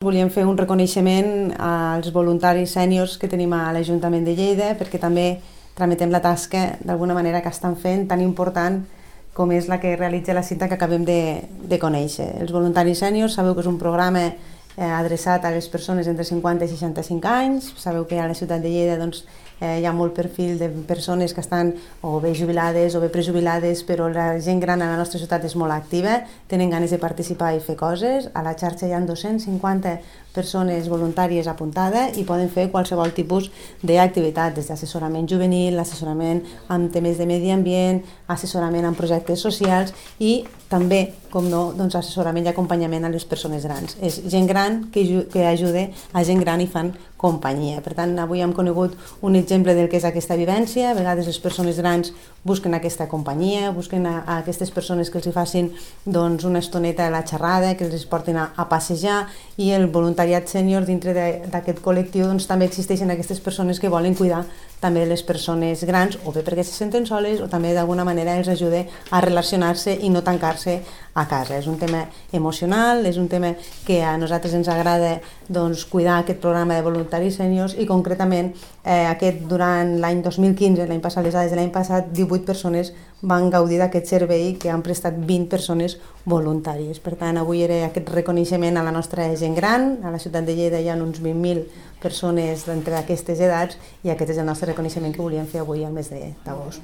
Volíem fer un reconeixement als voluntaris sèniors que tenim a l'Ajuntament de Lleida perquè també tramitem la tasca d'alguna manera que estan fent tan important com és la que realitza la cita que acabem de conèixer. Els voluntaris sèniors sabeu que és un programa adreçat a les persones entre 50 i 65 anys. Sabeu que a la ciutat de Lleida hi ha molt perfil de persones que estan o bé jubilades o bé prejubilades, però la gent gran a la nostra ciutat és molt activa, tenen ganes de participar i fer coses. A la xarxa hi ha 250 persones voluntàries apuntades i poden fer qualsevol tipus d'activitat, des d'assessorament juvenil, assessorament en temes de medi ambient, assessorament en projectes socials i també, com no, assessorament i acompanyament a les persones grans. És gent gran que ajuda a gent gran i fan companyia. Per tant, avui hem conegut un exemple del que és aquesta vivència. A vegades les persones grans busquen aquesta companyia, busquen a aquestes persones que els hi facin una estoneta a la xerrada, que els portin a passejar, i el voluntariat sènior dintre d'aquest col·lectiu també existeixen aquestes persones que volen cuidar també les persones grans, o bé perquè se senten soles o també d'alguna manera els ajuda a relacionar-se i no tancar-se a casa. És un tema emocional, és un tema que a nosaltres ens agrada cuidar aquest programa de voluntaris sèniors i concretament durant l'any 2015, l'any passat, les dades de l'any passat, 18 persones van gaudir d'aquest servei que han prestat 20 persones voluntàries. Per tant, avui era aquest reconeixement a la nostra gent gran. A la ciutat de Lleida hi ha uns 20.000 persones d'entre aquestes edats i aquest és el nostre reconeixement que volíem fer avui al mes d'agost.